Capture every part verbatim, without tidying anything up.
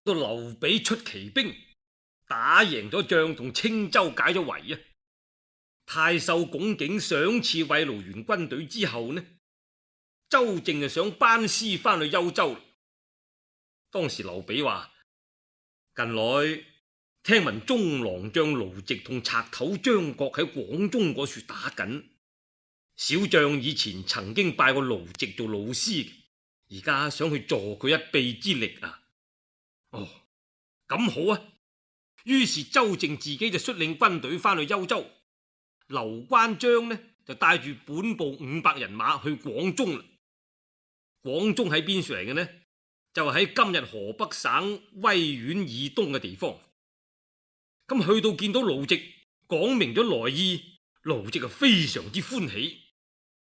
到劉備出奇兵，打贏咗仗，同青州解咗圍啊！太守龔景賞賜慰勞完軍隊之後呢，周正就想班師翻去幽州。當時劉備話：近來聽聞中郎將盧植同賊頭張角喺廣中嗰處打緊，小將以前曾經拜過盧植做老師，而家想去助佢一臂之力啊！哦，咁好啊！於是周正自己就率領軍隊翻去幽州，劉關張呢就帶住本部五百人馬去廣中啦。廣中喺邊處嚟嘅呢？就喺今日河北省威縣以東嘅地方。咁去到見到盧植，講明咗來意，盧植啊非常之歡喜，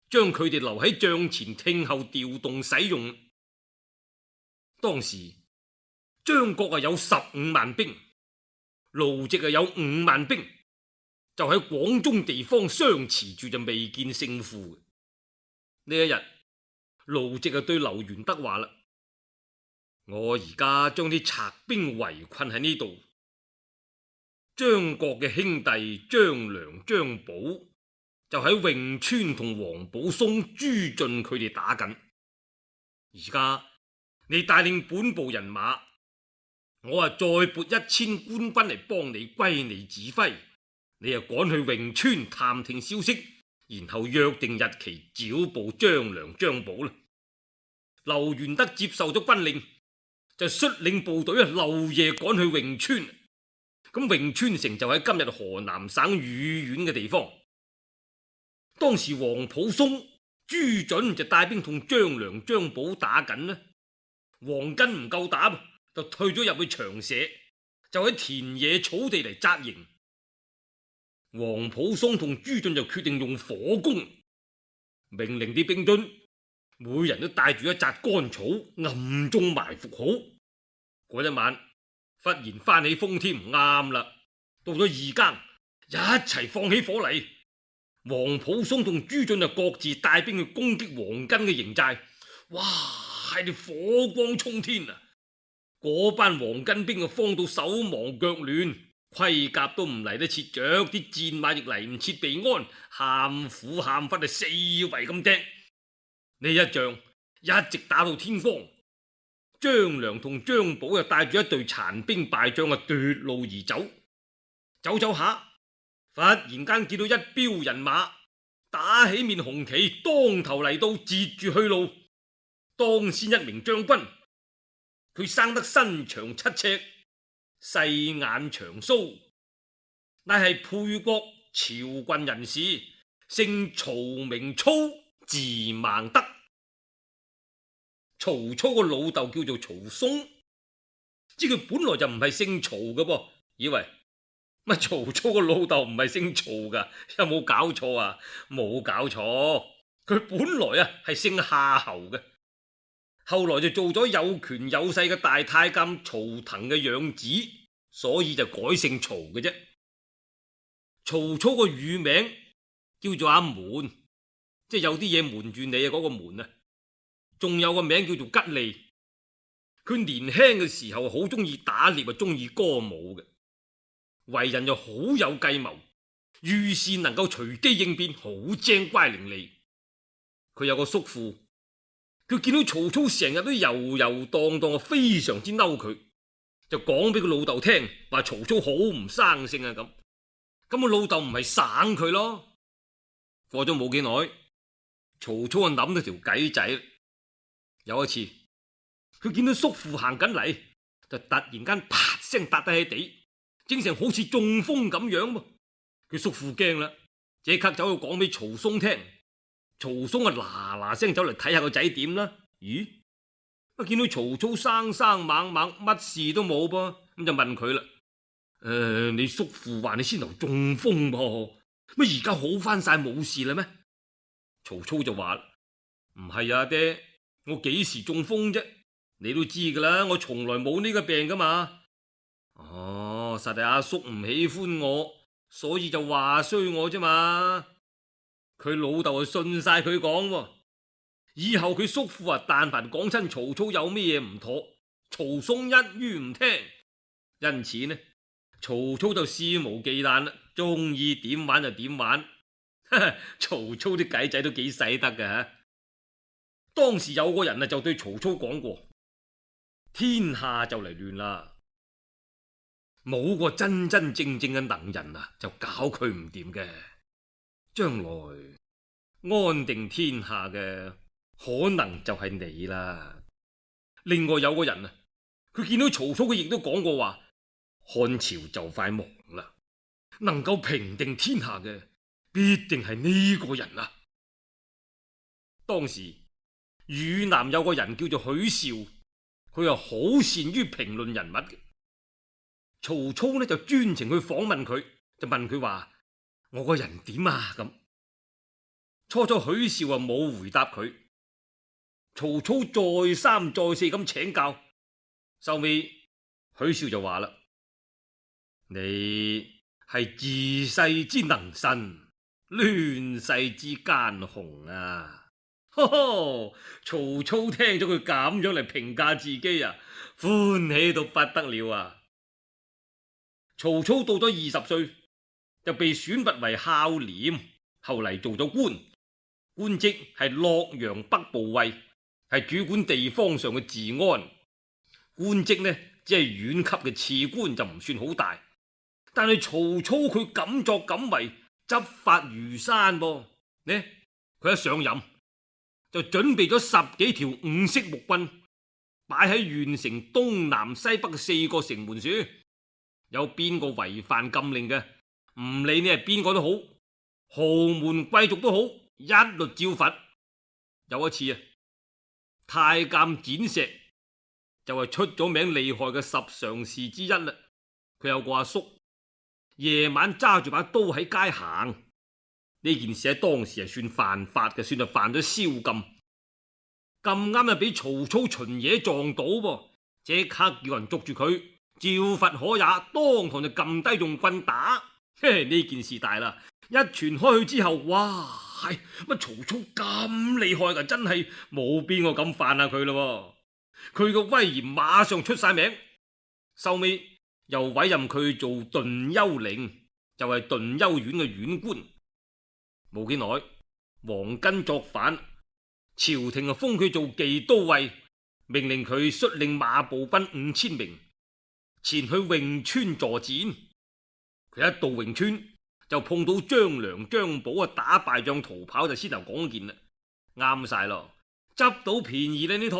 將佢哋留喺帳前聽候調動使用。當時張角啊有十五萬兵，盧植啊有五萬兵，就喺廣中地方相持住，就未見勝負。呢一日，盧植啊對劉玄德話啦：我而家將啲賊兵圍困喺呢度，張角嘅兄弟張良、張寶就喺潁川同王保松、朱俊佢哋打緊。而家你帶領本部人馬，我啊再撥一千官軍嚟幫你歸你指揮，你啊趕去潁川探聽消息，然後約定日期剿捕張良、張寶啦。劉玄德接受咗軍令，就率領部隊啊漏夜趕去潁川。咁潁川城就喺今日河南省禹縣嘅地方。當時王普松、朱准就帶兵同張良、張寶打緊啦。黃巾唔夠打，就退咗入去長社，就喺田野草地嚟紮營。王普松同朱俊就決定用火攻，命令啲兵卒每人都帶住一紮乾草，暗中埋伏好。嗰一晚忽然翻起風添，啱啦，到咗二更，一齊放起火嚟。王普松同朱俊就各自帶兵去攻擊黃巾嘅營寨。哇，係你火光衝天啊！嗰班黃巾兵啊，慌到手忙腳亂，盔甲都唔嚟得切着，啲戰馬亦嚟唔切備安，喊苦喊忽啊，四圍咁踢。呢一仗一直打到天光。張良同張寶又帶住一隊殘兵敗將啊，奪路而走。走走下，忽然間見到一彪人馬打起面紅旗，當頭嚟到，截住去路。當先一名將軍，佢生得身長七尺，細眼長鬚，乃係沛國譙郡人士，姓曹名操，字孟德。曹操個老豆叫做曹嵩，知佢本來就唔係姓曹嘅噃，以為乜曹操個老豆唔係姓曹噶？有冇搞錯啊？冇搞錯，佢本來啊係姓夏侯嘅，後來就做咗有權有勢嘅大太監曹騰嘅養子，所以就改姓曹嘅啫。曹操個乳名叫做阿瞞，即係有啲嘢瞞住你啊，嗰個瞞啊。仲有個名叫做吉利。佢年輕嘅時候好中意打獵啊，中意歌舞嘅，為人又好有計謀，遇事能夠隨機應變，好精乖伶俐。佢有個叔父，佢見到曹操成日都游游蕩蕩，非常之嬲佢，就講俾佢老豆聽，話曹操好唔生性啊咁。咁佢老豆唔係省佢咯。過咗冇幾耐，曹操啊諗到條計仔。有一次，佢見到叔父行緊嚟，就突然間啪聲笪低喺地，整成好似中風咁樣。佢叔父驚啦，即刻走去講俾曹嵩聽。曹嵩啊嗱嗱聲走嚟睇下個仔點啦。咦，啊見到曹操生生猛猛，乜事都冇噃，咁就問佢啦：誒、呃，你叔父話你先頭中風噃，乜而家好翻晒冇事啦咩？曹操就話：唔係啊，爹。我幾時中風啫？你都知噶啦，我從來冇呢個病噶嘛。哦，實係阿叔唔喜歡我，所以就話衰我啫嘛。佢老豆就信晒佢講，以後佢叔父啊，但凡講親曹操有咩嘢唔妥，曹嵩一於唔聽，因此呢，曹操就肆無忌憚啦，中意點玩就點玩。曹操啲計仔都幾使得㗎吓。當時有個人啊就對曹操講過：天下就嚟亂啦，冇個真真正正嘅能人啊，就搞佢唔掂嘅。將來安定天下嘅可能就係你啦。另外有個人啊，佢見到曹操，佢亦都講過話：漢朝就快亡啦，能夠平定天下嘅必定係呢個人啊。當時汝南有個人叫做許紹，佢又好善於評論人物嘅。曹操呢就專程去訪問佢，就問佢話：我個人點啊？咁初初許紹啊冇回答佢，曹操再三再四咁請教，收尾許紹就話啦：你係治世之能臣，亂世之奸雄啊！呵呵，曹操聽咗佢咁樣嚟評價自己啊，歡喜到不得了啊！曹操到咗二十歲就被選拔為孝廉，後嚟做咗官，官職係洛陽北部尉，係主管地方上嘅治安。官職呢只係縣級嘅次官，就唔算好大。但係曹操佢敢作敢為，執法如山噃。呢佢一上任就準備咗十幾條五色木棍，擺喺縣城東南西北嘅四個城門處。有邊個違反禁令嘅，唔理你係邊個都好，豪門貴族都好，一律照罰。有一次啊，太監展石就係出咗名厲害嘅十常侍之一啦。佢有個阿叔，夜晚揸住把刀喺街行，呢件事喺當時係算犯法嘅，算係犯咗宵禁。咁啱啊，俾曹操巡夜撞到噃，即刻叫人捉住佢，照罰可也，當堂就撳低用棍打。嘿，呢件事大啦，一傳開去之後，哇，係乜曹操咁厲害噶？真係冇邊個敢犯下佢咯。佢個威嚴馬上出晒名，收尾又委任佢做頓丘令，就係頓丘縣嘅縣官。冇幾耐，黃巾作反，朝廷啊封佢做冀都尉，命令佢率領馬步兵五千名前去潁川助戰。佢一到潁川就碰到張良、張寶啊，打敗仗逃跑，就先頭講件啦，啱晒咯，執到便宜啦呢趟。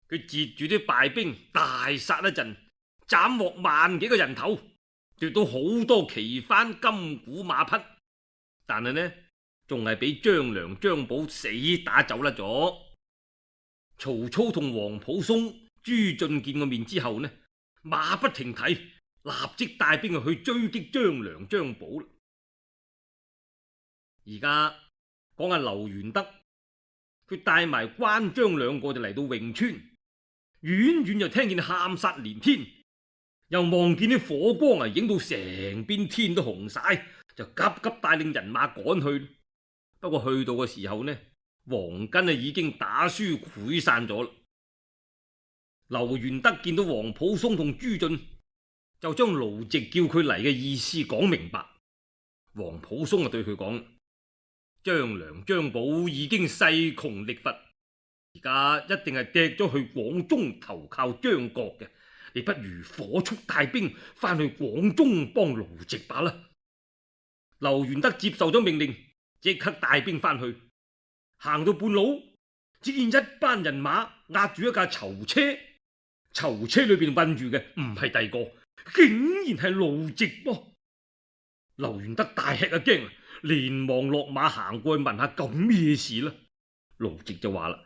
佢截住啲敗兵大殺一陣，斬獲萬幾個人頭，奪到好多旗幡、金鼓、馬匹，但係呢仲係俾張良、張寶死打走甩咗。曹操同皇甫嵩、朱俊見過面之後呢，馬不停蹄，立即帶兵去追擊張良、張寶。而家講下劉玄德，佢帶埋關張兩個就嚟到潁川，遠遠就聽見喊殺連天，又望見啲火光啊，影到成邊天都紅晒，就急急帶領人馬趕去。不過去到嘅時候呢，黃巾啊已經打輸潰散咗啦。劉玄德見到皇甫嵩同朱俊，就將盧植叫佢嚟嘅意思講明白。皇甫嵩啊對佢講：張良、張寶已經勢窮力乏，而家一定係趯咗去廣中投靠張角嘅，你不如火速帶兵翻去廣中幫盧植罷啦。劉玄德接受咗命令，即刻帶兵翻去。行到半路，只見一班人馬壓住一架囚車，囚車裏邊困住嘅唔係第二個，竟然係盧植噃。劉玄德大吃一驚，連忙落馬行過去問下咁咩事啦。盧植就話啦：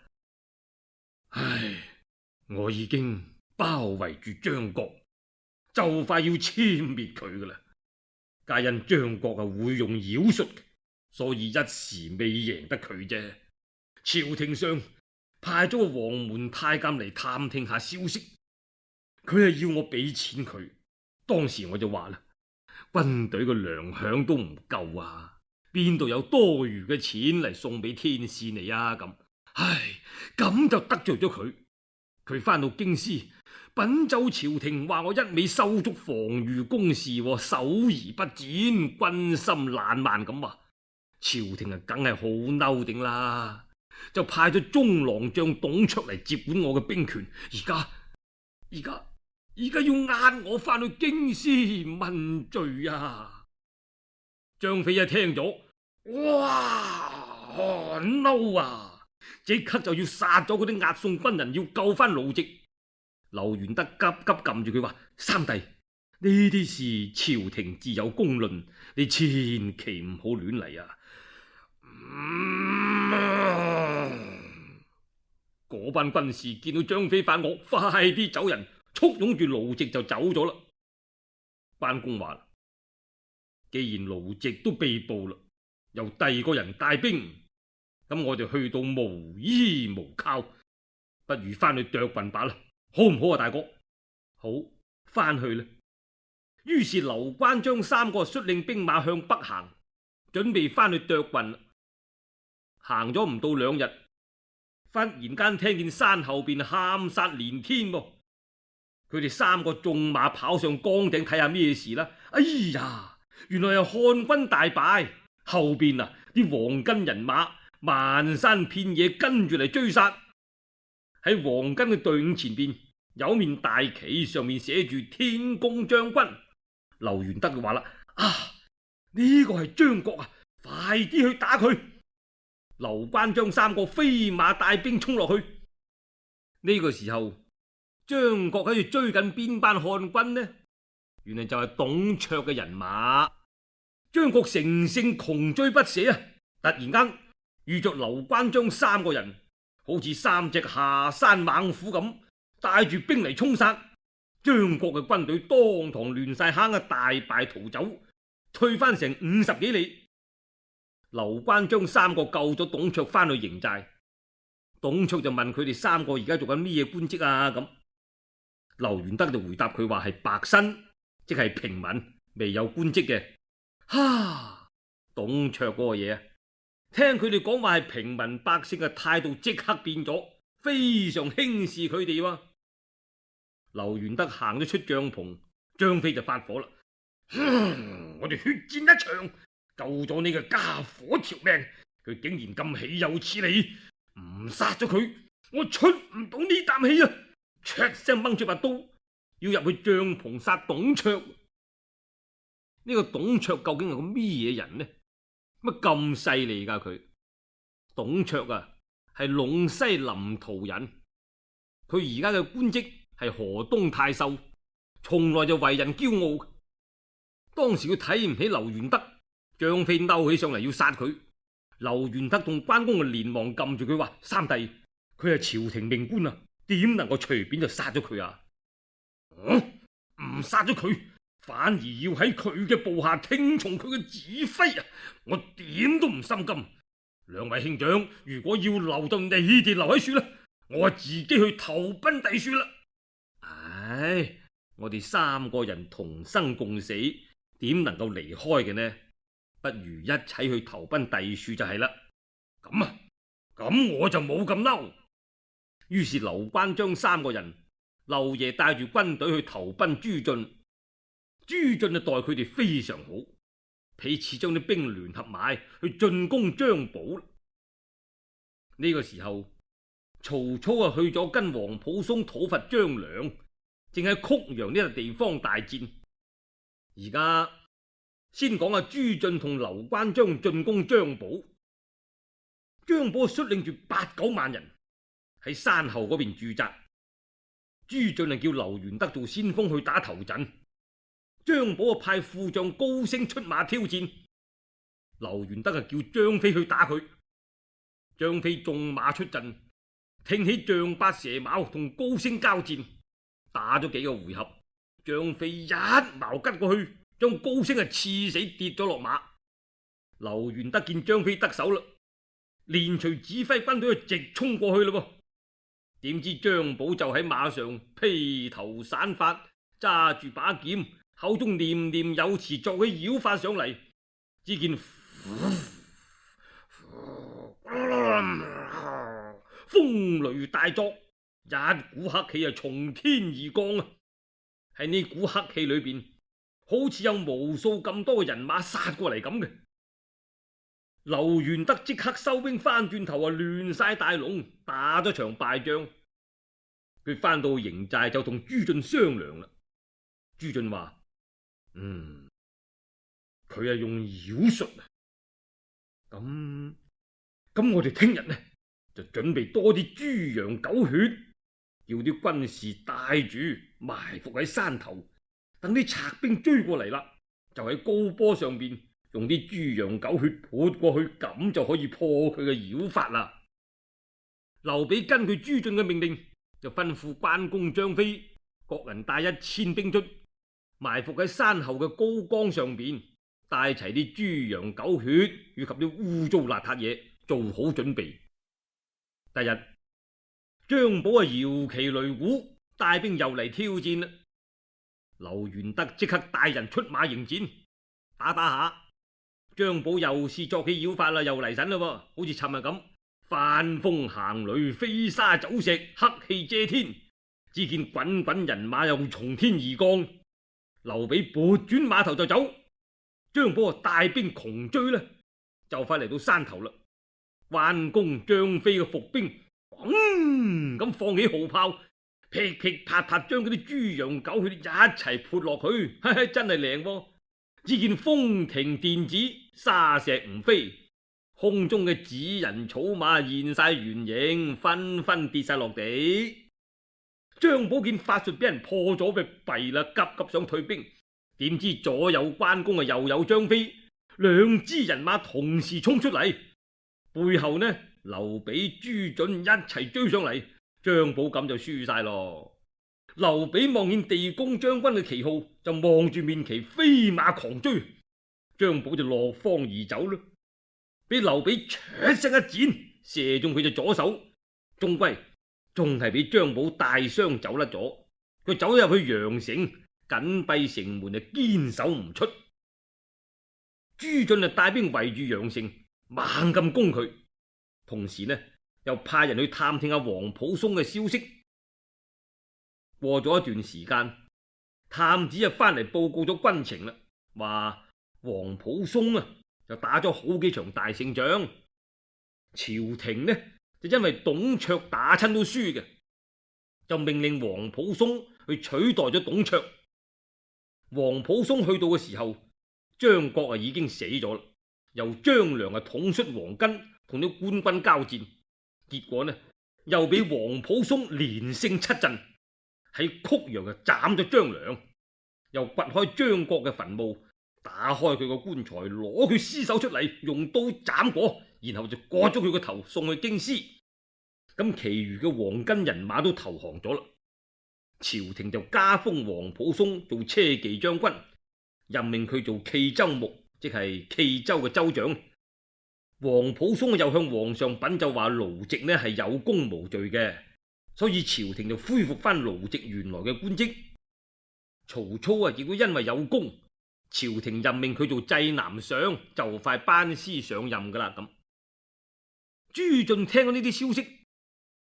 唉，我已經包圍住張角，就快要殲滅佢噶啦。皆因張角啊會用妖術，所以一時未贏得佢啫。朝廷上派咗個黃門太監嚟探聽下消息，佢係要我俾錢佢。當時我就話啦，軍隊嘅糧餉都唔夠啊，邊度有多餘嘅錢嚟送俾天使你啊？咁，唉，咁就得罪咗佢。佢翻到京師稟奏朝廷話我一味修築防禦工事，守而不戰，軍心爛漫咁話。朝廷啊，梗係好嬲頂啦，就派咗中郎將董卓嚟接管我嘅兵權。而家而家而家要押我翻去京師問罪啊！張飛一聽咗，哇，寒嬲啊！即刻就要殺咗嗰啲押送軍人，要救翻盧植。劉玄德急急撳住佢話：三弟，呢啲事朝廷自有公論，你千祈唔好亂嚟啊！嗰、嗯、班軍士見到張飛發惡，快啲走人，簇擁住盧植就走咗啦。關公話：既然盧植都被捕啦，由第二個人帶兵，咁我哋去到無依無靠，不如翻去涿郡罷啦，好唔好啊？大哥，好，翻去啦。於是劉關張三個率領兵馬向北行，準備翻去涿郡。行咗唔到兩日，忽然間聽見山後邊喊殺連天噃。佢哋三個縱馬跑上崗頂睇下咩事啦。哎呀，原來係漢軍大敗，後邊啊啲黃巾人馬漫山遍野跟住嚟追殺。喺黃巾嘅隊伍前邊有面大旗，上面寫住天公將軍。劉玄德就話啦：啊，呢個係張國啊，快啲去打佢！劉關張三個飛馬帶兵衝落去。呢個時候，張國喺度追緊邊班漢軍呢？原來就係董卓嘅人馬。張國乘勝窮追不捨啊！突然間遇着劉關張三個人，好似三隻下山猛虎咁，帶住兵嚟衝殺。張國嘅軍隊當堂亂晒坑啊，大敗逃走，退翻成五十幾里。劉關張三個救咗董卓翻去營寨，董卓就問佢哋三個而家做緊咩嘢官職啊？咁劉玄德就回答佢話係白身，即係平民，未有官職嘅。哈！董卓嗰個嘢啊，聽佢哋講話係平民百姓嘅態度即刻變咗，非常輕視佢哋喎。劉玄德行咗出帳篷，張飛就發火啦。我哋血戰一場，救咗呢個家伙條命，佢竟然咁豈有此理！唔殺咗佢，我出唔到呢啖氣啊！唰聲掹出把刀，要入去帳篷殺董卓。呢、這個董卓究竟係個咩嘢人呢？乜咁犀利噶佢？董卓啊，係隴西臨洮人，佢而家嘅官職係河東太守，從來就為人驕傲。當時佢睇唔起劉玄德，張飛嬲起上嚟要殺佢。劉玄德同關公就連忙撳住佢話：三弟，佢係朝廷命官啊，點能夠隨便就殺咗佢啊？唔殺咗佢，反而要喺佢嘅部下聽從佢嘅指揮啊！我點都唔心甘。兩位兄長，如果要留就你哋留喺處啦，我自己去投奔第處啦。唉，我哋三個人同生共死，點能夠離開嘅呢？不如一齊去投奔第處就係啦。咁啊，咁我就冇咁嬲。於是劉關張三個人，劉爺帶住軍隊去投奔朱俊。朱俊就待佢哋非常好，彼此將啲兵聯合埋去進攻張寶。呢、這個時候，曹操啊去咗跟皇甫嵩討伐張良，正喺曲陽呢個地方大戰。而家先講下朱俊同劉關張進攻張寶。張寶率領住八九萬人喺山後嗰邊駐紮，朱俊啊叫劉玄德做先鋒去打頭陣。張寶啊派副將高升出馬挑戰，劉玄德啊叫張飛去打佢。張飛縱馬出陣，挺起丈八蛇矛同高升交戰，打咗幾個回合，張飛一矛吉過去，將高升啊刺死，跌咗落馬。劉玄德見張飛得手啦，連隨指揮軍隊直衝過去啦噃。點知張寶就喺馬上披頭散髮，揸住把劍，口中念念有詞，作起妖法上嚟。只見風雷大作，一股黑氣啊從天而降啊！喺呢股黑氣裏邊，好似有無數咁多人馬殺過嚟咁嘅。劉元德即刻收兵翻轉頭啊，亂晒大龍，打咗場敗仗。佢翻到營寨就同朱俊商量啦。朱俊話：嗯，佢係用妖術啊。咁咁，我哋聽日呢就準備多啲豬羊狗血，叫啲軍士帶住埋伏喺山頭，等啲賊兵追過嚟啦，就喺高坡上邊用啲豬羊狗血潑過去，咁就可以破佢嘅妖法啦。劉備根據朱俊嘅命令，就吩咐關公、張飛各人帶一千兵卒，埋伏喺山後嘅高崗上邊，帶齊啲豬羊狗血以及啲污糟邋遢嘢，做好準備。第日張寶啊搖旗擂鼓，帶兵又嚟挑戰啦。劉元德即刻帶人出馬迎戰，打打下，張寶又是作起妖法啦，又嚟神啦，好似尋日咁，翻風行雷，飛沙走石，黑氣遮天。只見滾滾人馬又從天而降，劉備撥轉馬頭就走，張寶啊帶兵窮追啦，就快嚟到山頭啦。關公、張飛嘅伏兵，砰咁放起號炮，噼噼啪啪將嗰啲豬羊狗血一齊潑落去，嘿嘿，真係靚喎！只見風停電子，沙石唔飛，空中嘅紙人草馬現晒原形，紛紛跌晒落地。張寶見法術俾人破咗，咪弊啦，急急想退兵，點知左有關公啊，右有張飛，兩支人馬同時衝出嚟。背後呢，劉備、朱俊一齊追上嚟，張寶咁就輸晒咯。劉備望見地公將軍嘅旗號，就望住面旗飛馬狂追，張寶就落荒而走啦。俾劉備唰聲一箭，射中佢隻左手，終歸仲係俾張寶帶傷走甩咗。佢走入去陽城，緊閉城門，就堅守唔出。朱俊就帶兵圍住陽城，猛咁攻佢，同時呢又派人去探聽下皇甫嵩嘅消息。過咗一段時間，探子就翻嚟報告咗軍情啦，話皇甫嵩啊就打咗好幾場大勝仗，朝廷呢就因為董卓打親都輸嘅，就命令皇甫嵩去取代咗董卓。皇甫嵩去到嘅時候，張國啊已經死咗啦。由張良啊統率黃巾同啲官軍交戰，結果呢又俾皇甫嵩連勝七陣，喺曲陽啊斬咗張良，又掘開張國嘅墳墓，打開佢個棺材，攞佢屍首出嚟，用刀斬過，然後就割咗佢個頭送去京師。咁其餘嘅黃巾人馬都投降咗啦。朝廷就加封皇甫嵩做車騎將軍，任命佢做冀州牧，即係冀州嘅州長。皇甫嵩又向皇上稟奏話盧植呢係有功無罪嘅，所以朝廷就恢復翻盧植原來嘅官職。曹操啊亦都因為有功，朝廷任命佢做濟南相，就快班師上任噶啦。咁朱俊聽到呢啲消息，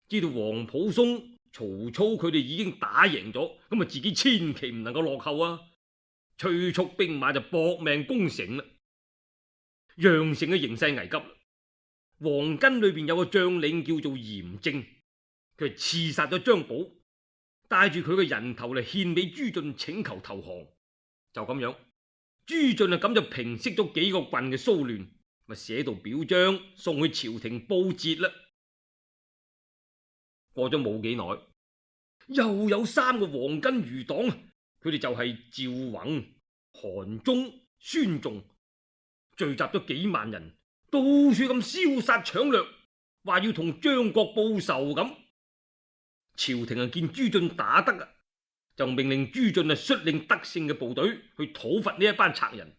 知道皇甫嵩、曹操佢哋已經打贏咗，咁啊自己千祈唔能夠落後啊！催促兵馬就搏命攻城啦。陽城嘅形勢危急，黃巾裏邊有個將領叫做嚴正，佢係刺殺咗張寶，帶住佢嘅人頭嚟獻俾朱俊請求投降。就咁樣，朱俊啊咁就平息咗幾個郡嘅騷亂，咪寫道表彰送去朝廷報捷啦。過咗冇幾耐，又有三個黃巾餘黨，佢哋就係趙宏、韓忠、孫仲，聚集咗幾萬人，到處咁燒殺搶掠，話要同張國報仇咁。朝廷啊見朱俊打得啊，就命令朱俊啊率領得勝嘅部隊去討伐呢一班賊人。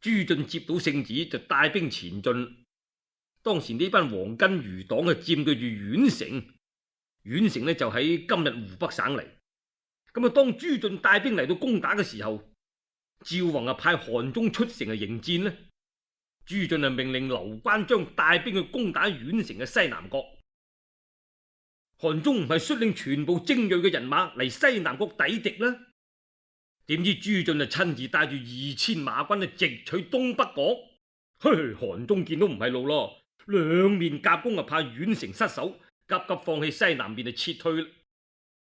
朱俊接到聖旨就帶兵前進。當時呢班黃巾餘黨啊佔據住縣城，縣城呢就喺今日湖北省嚟。咁啊，當朱俊帶兵嚟到攻打嘅時候，趙宏啊派韓忠出城啊迎戰呢。朱俊啊命令劉關張帶兵去攻打縣城嘅西南角。韓忠唔係率領全部精銳嘅人馬嚟西南國抵敵啦？點知朱俊就親自帶住二千馬軍啊，直取東北國。嘿，韓忠見到唔係路咯，兩面夾攻啊，怕宛城失守，急急放棄西南面就撤退啦。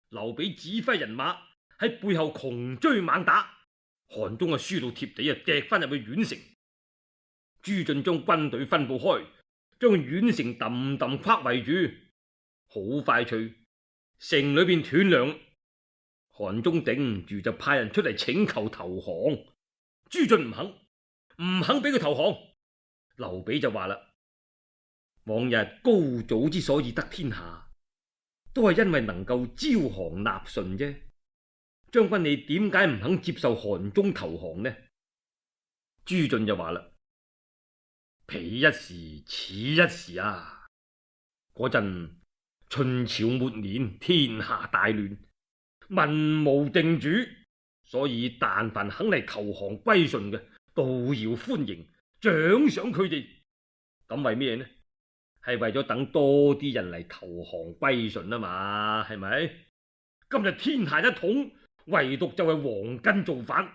劉備指揮人馬喺背後窮追猛打，韓忠啊輸到貼地啊，趯翻入去宛城。朱俊將軍隊分布開，將宛城揼揼框圍住。好快脆，城裏邊斷糧。韓忠頂唔住就派人出嚟請求投降，朱俊唔肯，唔肯俾佢投降。劉備就話啦：往日高祖之所以得天下，都係因為能夠招降納順啫。將軍你點解唔肯接受韓忠投降呢？朱俊就話啦：彼一時，此一時啊！嗰陣春朝末年，天下大亂，民無定主，所以但凡肯嚟投降歸順嘅，都要歡迎獎賞佢哋。咁為咩呢？係為咗等多啲人嚟投降歸順啊嘛，係咪？今日天下一統，唯獨就係黃巾造反。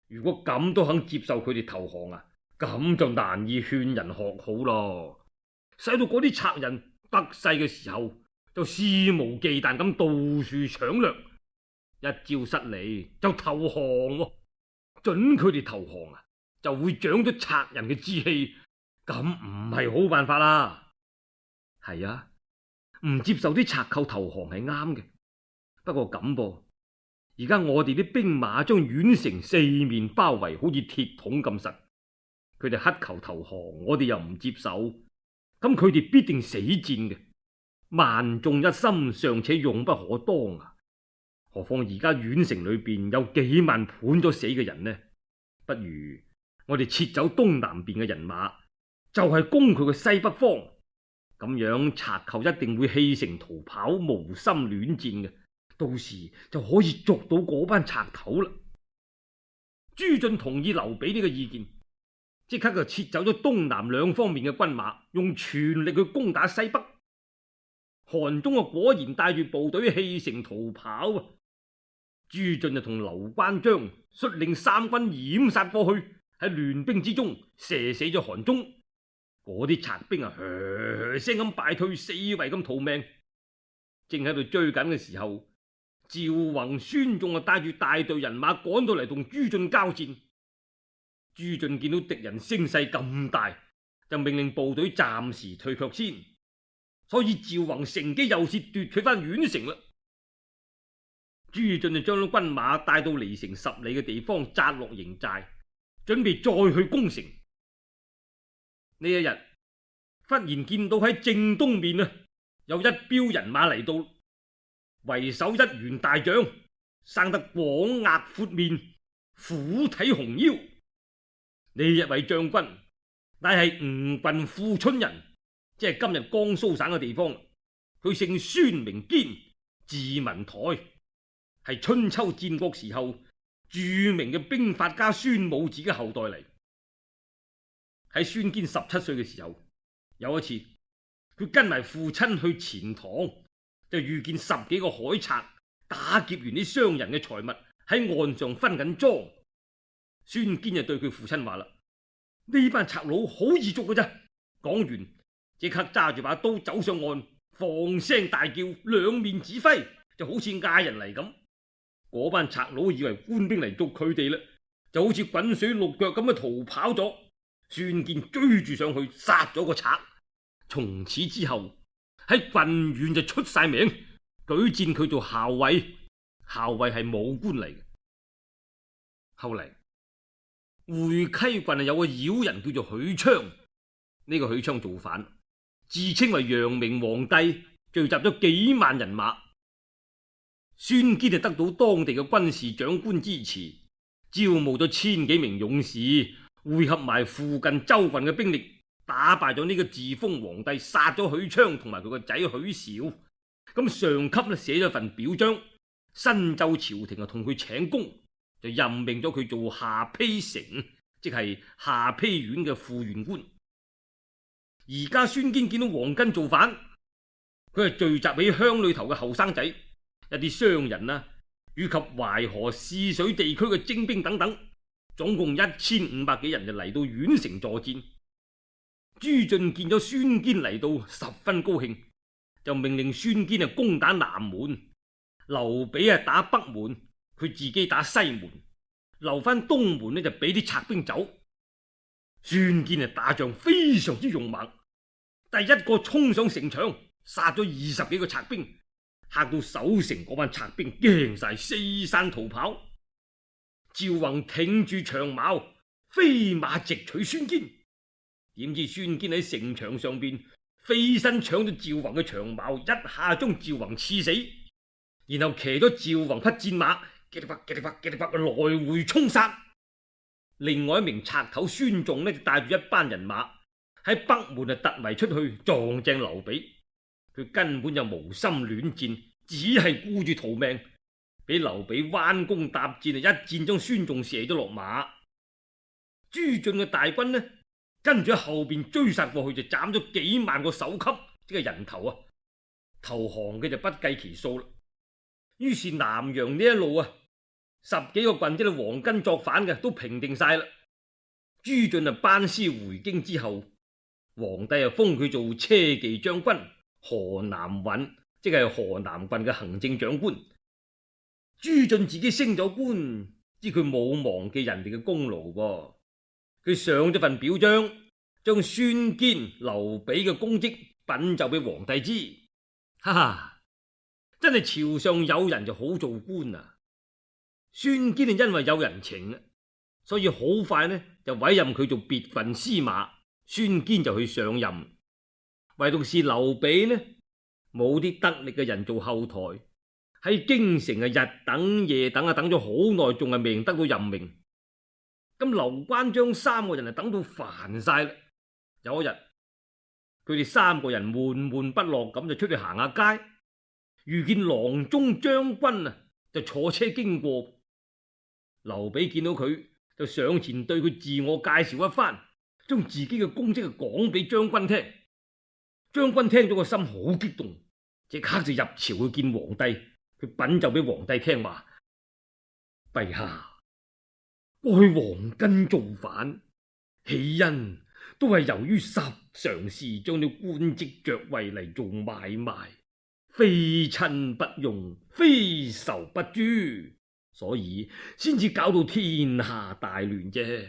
如果咁都肯接受佢哋投降啊，咁就難以勸人學好咯。使到嗰啲賊人得勢嘅時候，就肆無忌憚咁到處搶掠，一朝失利就投降喎。准佢哋投降啊，就會長咗賊人嘅志氣，咁唔係好辦法啦。係啊，唔接受啲賊寇投降係啱嘅，不過咁噃，而家我哋啲兵馬將宛城四面包圍，好似鐵桶咁實，佢哋乞求投降，我哋又唔接受，咁佢哋必定死戰嘅。萬眾一心，尚且勇不可當啊！何況而家宛城裏邊有幾萬判咗死嘅人呢？不如我哋撤走東南邊嘅人馬，就係攻佢嘅西北方，咁樣賊寇一定會棄城逃跑，無心戀戰嘅，到時就可以捉到嗰班賊頭啦。朱俊同意劉備呢個意見，即刻就撤走咗東南兩方面嘅軍馬，用全力去攻打西北。韓忠啊，果然帶住部隊棄城逃跑啊！朱俊就同劉關張率領三軍掩殺過去，喺亂兵之中射死咗韓忠。嗰啲賊兵啊，噓噓聲咁敗退，四圍咁逃命。正喺度追緊嘅時候，趙宏、孫仲啊帶住大隊人馬趕到嚟同朱俊交戰。朱俊見到敵人聲勢咁大，就命令部隊暫時退卻先。所以趙宏乘機又是奪取翻宛城啦。朱俊就將啲軍馬帶到離城十里嘅地方紮落營寨，準備再去攻城。呢一日忽然見到喺正東面啊，有一彪人馬嚟到，為首一員大將，生得廣額闊面，虎體熊腰。呢一位將軍乃係吳郡富春人，即係今日江蘇省嘅地方。佢姓孫，名堅，字文台，係春秋戰國時候著名嘅兵法家孫武子嘅後代嚟。喺孫堅十七歲嘅時候，有一次佢跟埋父親去錢塘，就遇見十幾個海賊打劫完啲商人嘅財物，喺岸上分緊贓。孫堅就對佢父親話啦：呢班賊佬好易捉嘅啫。講完即刻揸住把刀走上岸，放聲大叫，兩面指揮，就好似嗌人嚟咁。嗰班賊佬以為官兵嚟捉佢哋啦，就好似滾水淥腳咁樣逃跑咗。孫堅追住上去，殺咗個賊。從此之後喺郡縣就出晒名，舉薦佢做校尉。校尉係武官嚟嘅。後嚟會稽郡有個妖人叫做許昌，呢、這個許昌造反，自稱為陽明皇帝，聚集咗幾萬人馬。孫堅就得到當地嘅軍事長官支持，招募咗千幾名勇士，匯合埋附近州郡嘅兵力，打敗咗呢個自封皇帝，殺咗許昌同埋佢個仔許紹。咁上級咧寫咗份表彰，新州朝廷啊同佢請功，就任命咗佢做下邳城，即係下邳縣嘅副縣官。而家孫堅見到黃巾造反，佢係聚集起鄉裏頭嘅後生仔、一啲商人啊，以及淮河泗水地區嘅精兵等等，總共一千五百幾人就嚟到縣城助戰。朱俊見咗孫堅嚟到，十分高興，就命令孫堅啊攻打南門，劉備啊打北門，佢自己打西門，留翻東門呢就俾啲賊兵走。孫堅啊打仗非常之勇猛，第一個衝上城牆，殺咗二十幾個賊兵，嚇到守城嗰班賊兵驚晒，四散逃跑。趙宏挺住長矛，飛馬直取孫堅。點知孫堅喺城牆上邊飛身搶咗趙宏嘅長矛，一下將趙宏刺死，然後騎咗趙宏匹戰馬，嘰里啪嘰里啪嘰里啪來回衝殺。另外一名賊頭孫仲呢就帶住一班人馬喺北門啊突圍出去撞正劉備，佢根本就無心戀戰，只係顧住逃命，俾劉備彎弓搭箭啊一箭將孫仲射咗落馬。朱俊嘅大軍呢跟住喺後邊追殺過去，就斬咗幾萬個首級，即係人頭啊！投降嘅就不計其數啦。於是南陽呢一路啊，十幾個郡即係黃巾作反嘅都平定晒啦。朱俊啊班師回京之後，皇帝啊封佢做車騎將軍、河南尹，即係河南郡嘅行政長官。朱俊自己升咗官，知佢冇忘記人哋嘅功勞噃。佢上咗份表彰，將孫堅、劉備嘅功績稟奏俾皇帝知。哈哈，真係朝上有人就好做官啊！孫堅係因為有人情啊，所以好快呢就委任佢做別郡司馬，孫堅就去上任。唯獨是劉備呢，冇啲得力嘅人做後台，喺京城啊日等夜等啊等咗好耐，仲係未得到任命。咁劉關張三個人啊等到煩晒啦。有一日，佢哋三個人悶悶不樂咁就出去行下街，遇見郎中將軍啊就坐車經過。劉備見到佢就上前對佢自我介紹一番，將自己嘅功績講俾將軍聽。將軍聽咗個心好激動，即刻就入朝去見皇帝。佢稟奏俾皇帝聽話：陛下，過去黃巾造反，起因都係由於十常侍將啲官職爵位嚟做買賣，非親不用，非仇不誅，所以先至搞到天下大亂啫。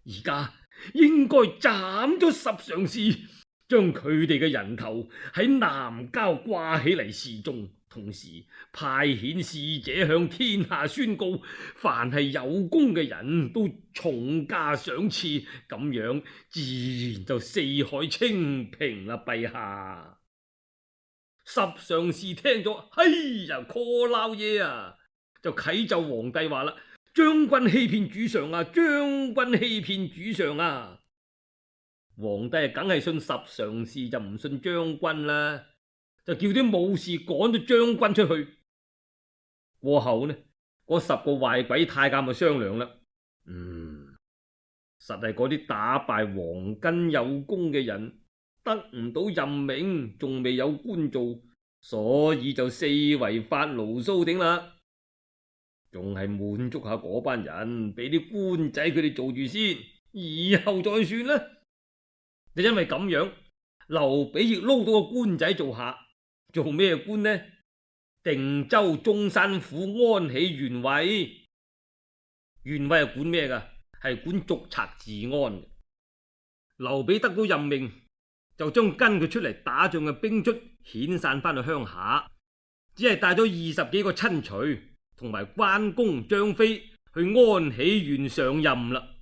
而家應該斬咗十常侍，將佢哋嘅人頭喺南郊掛起嚟示眾，同時派遣使者向天下宣告，凡係有功嘅人都重加賞賜，咁樣自然就四海清平啦。陛下，十常侍聽咗，哎呀，call撈嘢啊，就啟奏皇帝話啦：將軍欺騙主上啊，將軍欺騙主上啊！皇帝啊，梗係信十常侍，就唔信將軍啦，就叫啲武士趕咗將軍出去。過後呢，嗰十個壞鬼太監就商量啦，嗯，實係嗰啲打敗黃巾有功嘅人得唔到任命，仲未有官做，所以就四圍發牢騷頂啦，仲係滿足下嗰班人，俾啲官仔佢哋做住先，以後再算啦。就因為咁樣，劉備亦撈到個官仔做下，做咩官呢？定州中山府安喜縣尉。縣尉係管咩噶？係管捉賊治安。劉備得到任命，就將跟佢出嚟打仗嘅兵卒遣散翻去鄉下，只係帶咗二十幾個親隨同埋關公、張飛去安喜縣上任啦。